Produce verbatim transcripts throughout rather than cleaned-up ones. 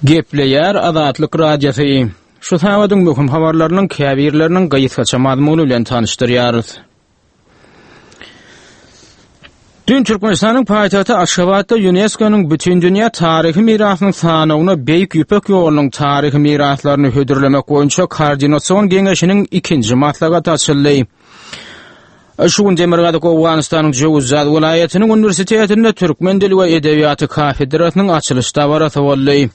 Gepleýär Azatlyk Radiosy. Şu sagadyň möhüm habarlarynyň käbirleriniň gysgaça mazmuny bilen tanyşdyrýarys. Dün Türkmenistanyň paýtagty Aşgabatda UNESCO-nyň Bütindünýä taryhy mirasynyň sanawyna Beýik Ýüpek ýolunyň taryhy miraslaryny hödürlemek boýunça Koordinasion geňeşiniň ikinji maslahaty açyldy. Şu gün Demirgazyk Owganystanyň Jöwüzjaz welaýatynyň uniwersitetinde türkmen dili we edebiýaty kafedrasynyň açylyş dabarasy boldy.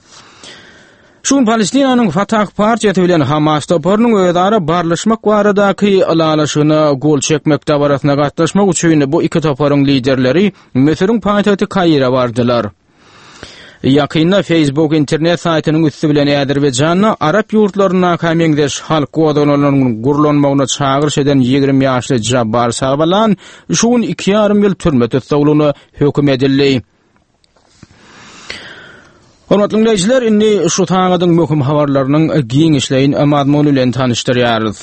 Şu gün Palestinanyň Fatah partiýasy bilen Hamas toparynyň özara barlyşmak baradaky ylalaşygyna gol çekmek dabarasyna gatnaşmak üçin bu iki toparyň liderleri Müsüriň paýtagty Kaire bardylar. Ýakynda Facebook internet saýtynyň üsti bilen Azerbaýjanda arap ýurtlaryndaky meňzeş halk gozgalaňlarynyň gurlanmagyna çagyryş eden ýigrimi ýaşly Jabbar Savalan şu gün iki ýarym ýyl türme tussaglygyna höküm edildi. Hormatly dinleýjiler, indi şu sagadyň möhüm habarlarynyň giňişleýin mazmuny bilen tanyşdyrýarys.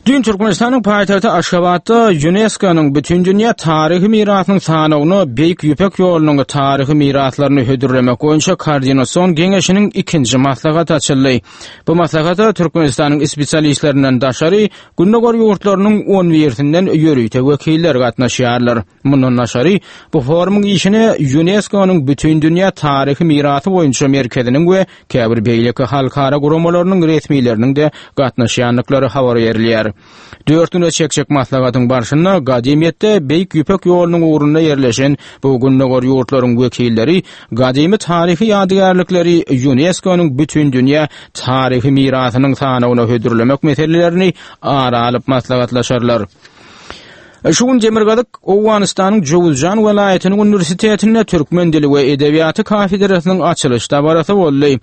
Dün Türkmenistanyň paýtagty Aşgabatda UNESCO-nyň Bütindünýä taryhy mirasynyň sanawyna Beýik Ýüpek ýolunyň taryhy miraslaryny hödürlemek boýunça Koordinasion geňeşiniň ikinji maslahaty açyldy. Bu maslahata Türkmenistanyň spesialistlerinden daşary Gündogar ýurtlarynyň on birisinden ýörite wekiller gatnaşýarlar. Mundan daşary, bu forumyň işine UNESCO-nyň Bütindünýä taryhy mirasy boýunça merkeziniň we käbir beýleki halkara guramalarynyň resmileriniň-de gatnaşýandyklary habar berilýär. Dört güne çekjek maslahatyň barşynda gadymyýetde Beýik Ýüpek ýolunyň ugrunda ýerleşen bu gündogar ýurtlaryň wekilleri gadymy taryhy ýadygärlikleri UNESCO-nyň Bütindünýä taryhy mirasynyň sanawyna hödürlemek meselelerini ara alyp maslahatlaşarlar. Şu gün Demirgazyk Owganystanyň Jöwüzjan welaýatynyň uniwersitetinde türkmen dili we edebiýaty kafedrasynyň açylyş dabarasy boldy.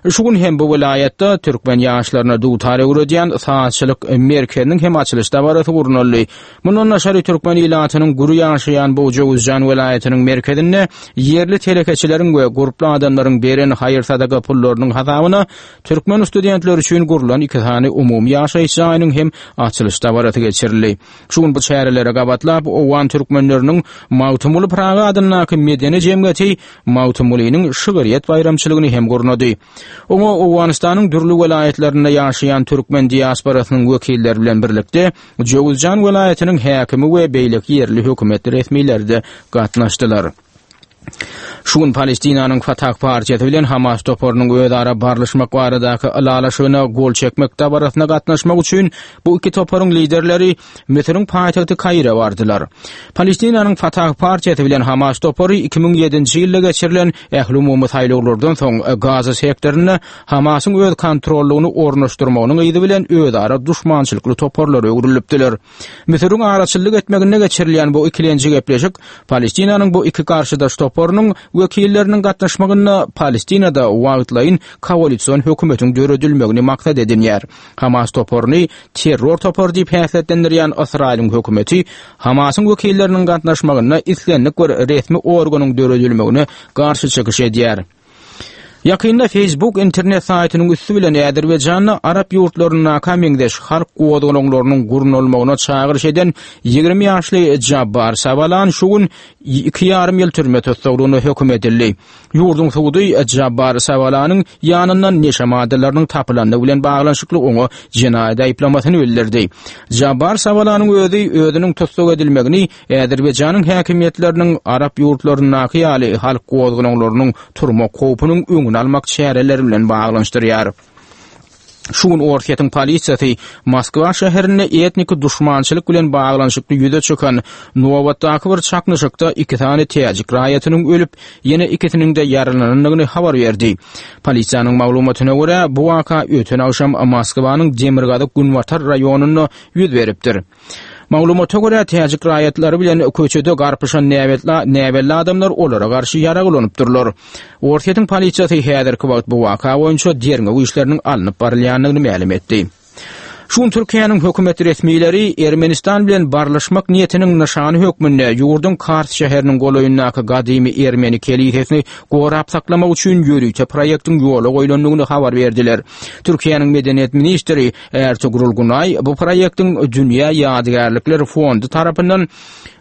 Şu gün hem bu welaýatda türkmen ýaşlaryna dutar öwredýän sazçylyk merkeziniň hem açylyş dabarasy gurnaldy. Mundan daşary türkmen ilatynyň gür ýaşaýan bu Jöwüzjan welaýatynyň merkezinde ýerli telekeçileriň we gurply adamlaryň beren haýyr-sadaka pullarynyň hasabyna türkmen studentleri üçin gurlan iki sany umumy ýaşaýyş jaýynyň hem açylyş dabarasy geçirildi. Şu gün bu çärelere gabatlap Owgan türkmenleriniň Magtymguly Pyragy adyndaky medeni jemgyýeti Magtymgulynyň şygryýet baýramçylygyny hem gurnady. Oňa Owganystanyň dürli welaýatlarynda ýaşaýan türkmen diasporasynyň wekilleri bilen birlikde Jöwüzjan welaýatynyň häkimi we beýleki ýerli hökümet resmileri-de gatnaşdylar. Şu gün Palestinanyň Fatah partiýasy bilen Hamas toparynyň özara barlyşmak baradaky ylalaşygyna gol çekmek dabarasyna gatnaşmak üçin bu iki toparyň liderleri Müsüriň paýtagty Kaire bardylar. Palestinanyň Fatah partiýasy bilen Hamas topary iki müň ýedinji ýylda geçirilen ählumumy saýlawlardan soň Gaza sektorynda Hamasyň öz kontrollygyny ornaşdyrmagynyň yzy bilen özara duşmançylykly toparlara öwrülipdiler. Müsüriň araçyllyk etmeginde geçirilýän bu ikilenji gepleşik Palestinanyň bu iki garşydaş toparynyň wekilleriniň gatnaşmagynda Palestinada wagtlaýyn koalision hökümetiň döredilmegini maksat edinýär. Hamas toparyny terror topary diýip häsiýetlendirýän Ysraýylyň hökümeti Hamasyň wekilleriniň gatnaşmagynda islendik bir resmi organyň döredilmegine garşy çykyş edýär. Ýakynda Facebook internet saýtynyň üsti bilen Azerbaýjanda arap ýurtlaryndaka meňzeş halk gozgalaňlarynyň gurnalmagyna çagyryş eden ýigrimi ýaşly Jabbar Savalan şu gün iki ýarym ýyl türme tussaglygyna höküm edildi. Ýurduň sudy Jabbar Savalanyň ýanyndan neşe maddalarynyň tapylandygy bilen baglanyşykly oňa jenaýat aýyplamasyny bildirdi. Jabbar Savalanyň özi özüniň tussag edilmegini Azerbaýjanyň häkimiýetleriniň arap ýurtlaryndaky ýaly halk gozgalaňlarynyň turmak howpunyň öňüni almak çäreleri bilen baglanyşdyrýar. Şu gün Orsýetiň polisiýasy Moskwa şäherinde etnik duşmançylyk bilen baglanyşykly ýüze çykan nobatdaky bir çaknyşykda iki sany täjik raýatynyň ölüp, ýene ikisiniň-de ýaralanandygyny habar berdi. Polisiýanyň maglumatyna görä, bu waka öten agşam Moskwanyň demirgazyk-günbatar raýonynda ýüz beripdir. Maglumata görä, täjik raýatlary bilen köçede garpyşan näbelli adamlar olara garşy ýarag ulanypdyrlar. Orsýetiň polisiýasy häzirki wagt bu waka boýunça derňew işleriniň alnyp barylýandygyny mälim etdi. Şu gün Türkiýäniň hökümet resmileri Ermenistan bilen barlyşmak niýetiniň nyşany hökmünde ýurduň Kars şäheriniň golaýyndaky gadymy ermeni kelisesini gorap saklamak üçin ýörite proýektiň ýola goýlandygyny habar berdiler. Türkiýäniň medeniýet ministri Ertugrul Gunaý bu proýektiň Dünýä ýadygärlikler fondy tarapyndan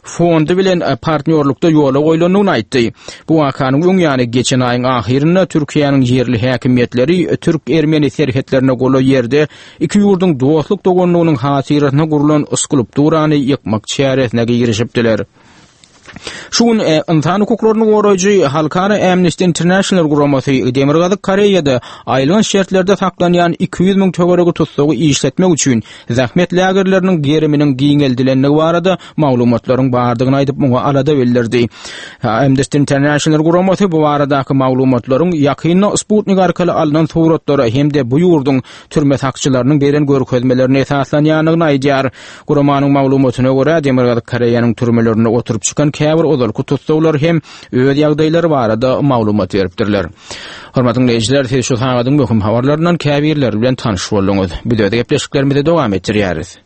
fondy bilen partnýorlukda ýola goýlandygyny aýtdy. Bu wakanyň öň ýany geçen aýyň ahyrynda Türkiýäniň ýerli häkimiýetleri türk-ermeni serhetlerine golaý ýerde iki ýurduň dostluk-doganlygynyň hatyrasyna gurlan skulpturany ýykmak çäresine girişipdiler. Şu gün e, ynsan hukuklaryny goraýjy Halkara Amnesty International guramasy Demirgazyk Koreýada aýylganç şertlerde saklanýan iki ýüz müň töweregi tussagy işletmek üçin zähmet lagerleriniň geriminiň giňeldilendigi barada maglumatlaryň bardygyny aýdyp, muňa alada bildirdi. Amnesty International guramasy bu baradaky maglumatlaryň ýakynda Sputnik arkaly alnan suratlara hem-de bu ýurduň türme sakçylarynyň beren görkezmelerine esaslanýandygyny aýdýar. Guramanyň maglumatyna görä, Demirgazyk Koreýanyň türmelerinde oturyp çykan käbir ozalky tussaglar hem öz ýagdaýlary barada maglumat beripdirler. Hormatly dinleýjiler, siz şu sagadyň möhüm habarlaryndan käbirleri bilen tanyş bolduňyz. Biz öz gepleşiklerimizi dowam etdirýäris.